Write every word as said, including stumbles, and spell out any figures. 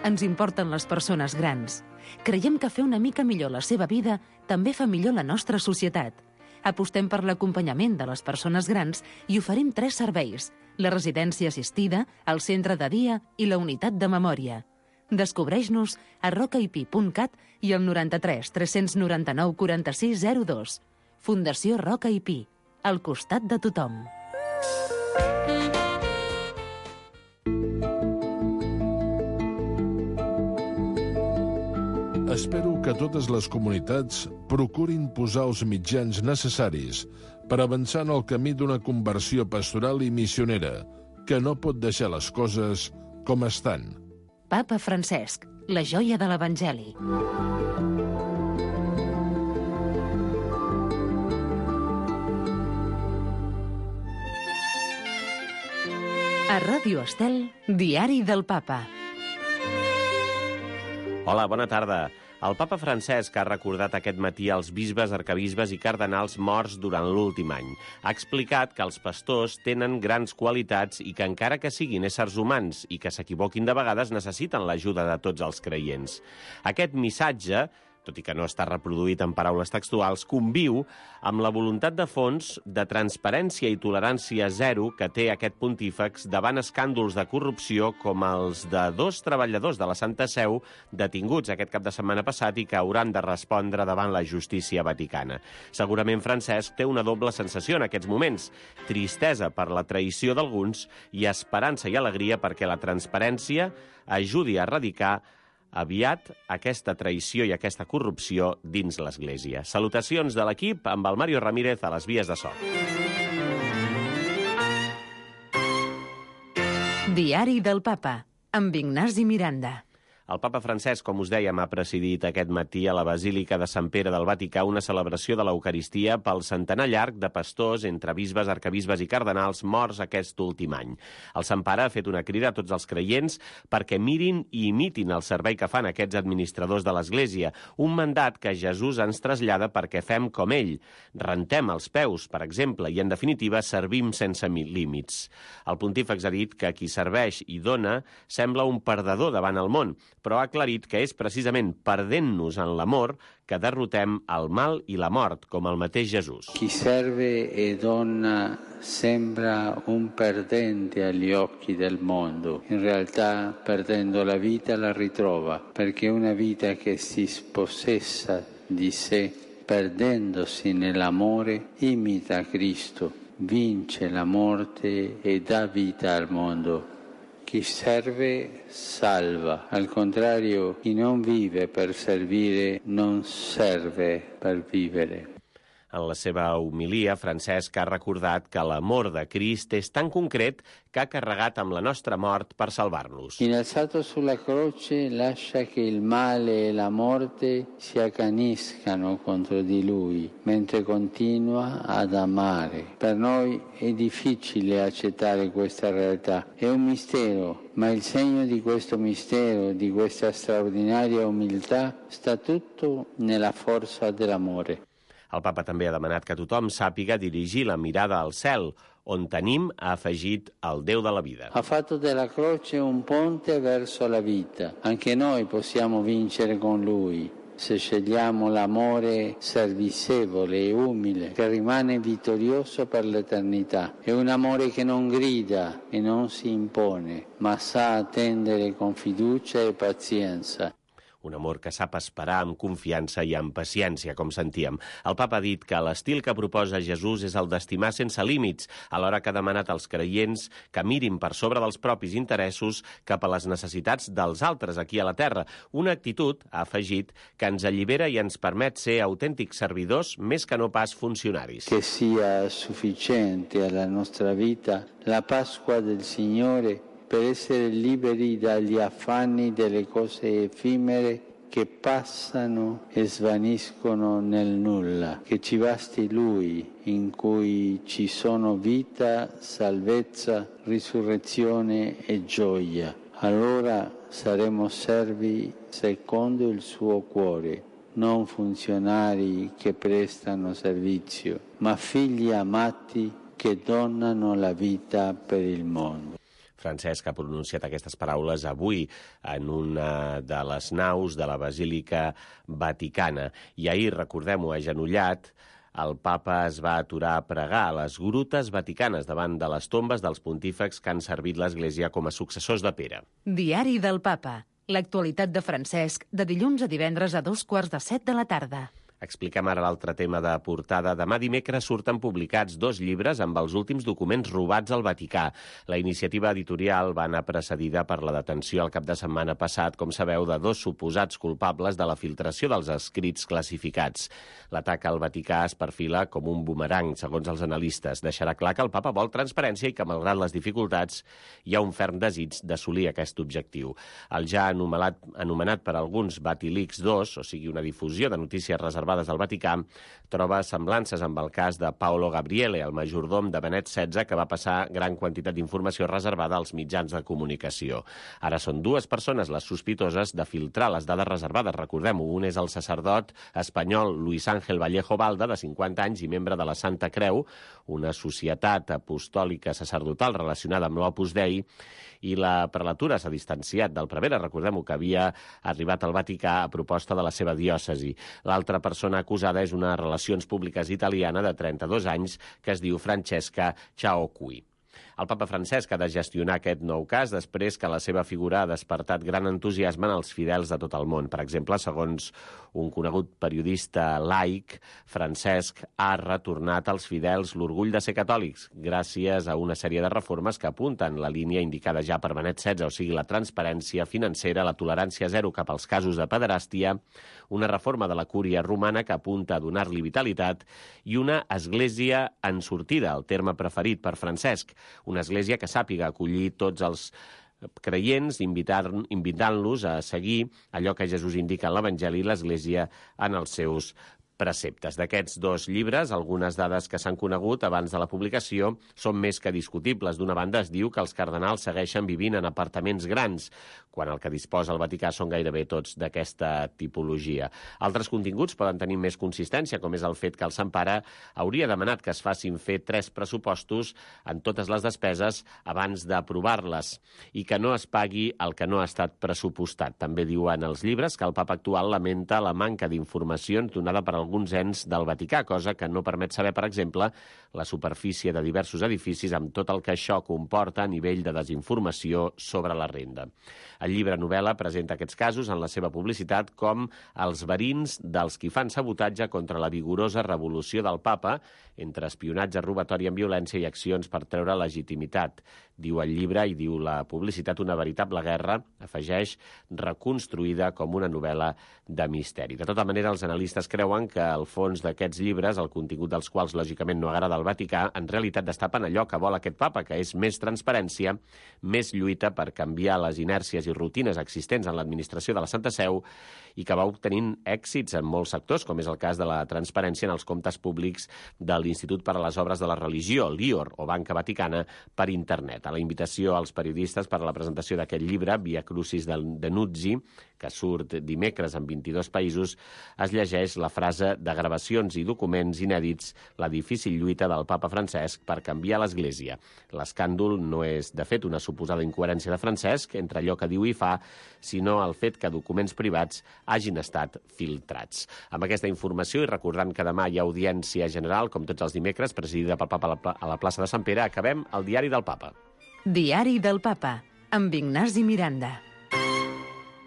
Ens importen les persones grans. Creiem que fer una mica millor la seva vida també fa millor la nostra societat. Apostem per l'acompanyament de les persones grans i oferim tres serveis: la residència assistida, el centre de dia i la unitat de memòria. Descobreix-nos a rocaip punt cat i al noranta-tres tres noranta-nou quaranta-sis zero dos. Fundació Roca i Pi, al costat de tothom. Espero que totes les comunitats procurin posar els mitjans necessaris per avançar en el camí d'una conversió pastoral i missionera, que no pot deixar les coses com estan. Papa Francesc, la joia de l'Evangeli. A Ràdio Estel, Diari del Papa. Hola, bona tarda. El papa Francesc ha recordat aquest matí als bisbes, arcabisbes i cardenals morts durant l'últim any. Ha explicat que els pastors tenen grans qualitats i que encara que siguin éssers humans i que s'equivoquin de vegades necessiten l'ajuda de tots els creients. Aquest missatge, tot i que no està reproduït en paraules textuals, conviu amb la voluntat de fons de transparència i tolerància zero que té aquest pontífex davant escàndols de corrupció com els de dos treballadors de la Santa Seu detinguts aquest cap de setmana passat i que hauran de respondre davant la justícia vaticana. Segurament Francesc té una doble sensació en aquests moments: tristesa per la traïció d'alguns i esperança i alegria perquè la transparència ajudi a erradicar aviat aquesta traïció i aquesta corrupció dins l'Església. Salutacions de l'equip amb el Mario Ramírez a les vies de so. Diari del Papa, amb Ignasi Miranda. El papa Francesc, com us dèiem, ha presidit aquest matí a la Basílica de Sant Pere del Vaticà una celebració de l'Eucaristia pel centenar llarg de pastors entre bisbes, arcabisbes i cardenals morts aquest últim any. El Sant Pare ha fet una crida a tots els creients perquè mirin i imitin el servei que fan aquests administradors de l'Església, un mandat que Jesús ens trasllada perquè fem com ell. Rentem els peus, per exemple, i, en definitiva, servim sense límits. El pontífex ha dit que qui serveix i dona sembla un perdedor davant el món, però ha aclarit que és precisament perdent-nos en l'amor que derrotem el mal i la mort, com el mateix Jesús. Chi serve e dona sembra un perdente agli occhi del mondo. In realtà, perdendo la vita, la ritrova, perché una vita che si spossessa di sé, perdendosi nell'amore, imita Cristo, vince la morte e dà vita al mondo. Chi serve salva, al contrario, chi non vive per servire non serve per vivere. En la seva homilia, Francesc ha recordat que l'amor de Crist és tan concret que ha carregat amb la nostra mort per salvar-nos. Innalzato sulla croce lascia che il male e la morte si accaniscano contro di lui, mentre continua ad amare. Per noi è difficile accettare questa realtà, è un mistero, ma il segno di questo mistero, di questa straordinaria umiltà, sta tutto nella forza dell'amore. El papa també ha demanat que tothom sàpiga dirigir la mirada al cel, on tenim, ha afegit, el Déu de la vida. Ha fatto della croce un ponte verso la vita. Anche noi possiamo vincere con lui, se scegliamo l'amore servizievole e umile, che rimane vittorioso per l'eternità. È un amore che non grida e non si impone, ma sa attendere con fiducia e pazienza. Un amor que sap esperar amb confiança i amb paciència, com sentíem. El papa ha dit que l'estil que proposa Jesús és el d'estimar sense límits, alhora que ha demanat als creients que mirin per sobre dels propis interessos cap a les necessitats dels altres aquí a la terra. Una actitud, ha afegit, que ens allibera i ens permet ser autèntics servidors més que no pas funcionaris. Que sia sufficiente alla nostra vita la Pasqua del Signore per essere liberi dagli affanni delle cose effimere che passano e svaniscono nel nulla, che ci basti Lui, in cui ci sono vita, salvezza, risurrezione e gioia. Allora saremo servi secondo il suo cuore, non funzionari che prestano servizio, ma figli amati che donano la vita per il mondo. Francesc ha pronunciat aquestes paraules avui en una de les naus de la Basílica Vaticana. I ahir, recordem-ho, agenollat, el papa es va aturar a pregar a les grutes vaticanes davant de les tombes dels pontífex que han servit l'Església com a successors de Pere. Diari del Papa. L'actualitat de Francesc, de dilluns a divendres a dos quarts de set de la tarda. Expliquem ara l'altre tema de portada. Demà dimecres surten publicats dos llibres amb els últims documents robats al Vaticà. La iniciativa editorial va anar precedida per la detenció el cap de setmana passat, com sabeu, de dos suposats culpables de la filtració dels escrits classificats. L'atac al Vaticà es perfila com un bumerang, segons els analistes. Deixarà clar que el papa vol transparència i que, malgrat les dificultats, hi ha un ferm desig d'assolir aquest objectiu. El ja anomenat, anomenat per alguns Vatilix dos, o sigui, una difusió de notícies reservades al Vaticà, troba semblances amb el cas de Paolo Gabriele, el majordom de Benet setze, que va passar gran quantitat d'informació reservada als mitjans de comunicació. Ara són dues persones les sospitoses de filtrar les dades reservades. Recordem-ho, un és el sacerdot espanyol Luis Ángel Vallejo Balda, de cinquanta anys i membre de la Santa Creu, una societat apostòlica sacerdotal relacionada amb l'Opus Dei, i la prelatura s'ha distanciat del prevere. Recordem-ho, que havia arribat al Vaticà a proposta de la seva diòcesi. L'altra persona acusada és una relacions públiques italiana de trenta-dos anys que es diu Francesca Ciaocchi. El papa Francesc ha de gestionar aquest nou cas després que la seva figura ha despertat gran entusiasme en els fidels de tot el món. Per exemple, segons un conegut periodista laic, Francesc ha retornat als fidels l'orgull de ser catòlics gràcies a una sèrie de reformes que apunten la línia indicada ja per Benet setze, o sigui, la transparència financera, la tolerància zero cap als casos de pederàstia, una reforma de la cúria romana que apunta a donar-li vitalitat i una església en sortida, el terme preferit per Francesc, una església que sàpiga acollir tots els creients, invitant-los a seguir allò que Jesús indica en l'Evangeli i l'Església en els seus preceptes. D'aquests dos llibres, algunes dades que s'han conegut abans de la publicació són més que discutibles. D'una banda, es diu que els cardenals segueixen vivint en apartaments grans, quan el que disposa el Vaticà són gairebé tots d'aquesta tipologia. Altres continguts poden tenir més consistència, com és el fet que el Sant Pare hauria demanat que es facin fer tres pressupostos en totes les despeses abans d'aprovar-les i que no es pagui el que no ha estat pressupostat. També diuen els llibres que el papa actual lamenta la manca d'informacions donada per alguns ens del Vaticà, cosa que no permet saber, per exemple, la superfície de diversos edificis amb tot el que això comporta a nivell de desinformació sobre la renda. El llibre novel·la presenta aquests casos en la seva publicitat com els verins dels qui fan sabotatge contra la vigorosa revolució del papa, entre espionatge, robatori amb violència i accions per treure legitimitat. Diu el llibre i diu la publicitat una veritable guerra, afegeix, reconstruïda com una novel·la de misteri. De tota manera, els analistes creuen que el fons d'aquests llibres, el contingut dels quals lògicament no agrada al Vaticà, en realitat destapen allò que vol aquest papa, que és més transparència, més lluita per canviar les inèrcies i rutines existents en l'administració de la Santa Seu i que va obtenint èxits en molts sectors, com és el cas de la transparència en els comptes públics de l'Institut per a les Obres de la Religió, l'I O R, o Banca Vaticana, per internet. A la invitació als periodistes per a la presentació d'aquest llibre, Via Crucis de Nuzzi, que surt dimecres en vint-i-dos països, es llegeix la frase de gravacions i documents inèdits, la difícil lluita del papa Francesc per canviar l'Església. L'escàndol no és, de fet, una suposada incoherència de Francesc entre allò que diu i fa, sinó el fet que documents privats hagin estat filtrats. Amb aquesta informació, i recordant que demà hi ha audiència general, com tots els dimecres, presidida pel papa a la plaça de Sant Pere, acabem el Diari del Papa. Diari del Papa, amb Ignasi Miranda.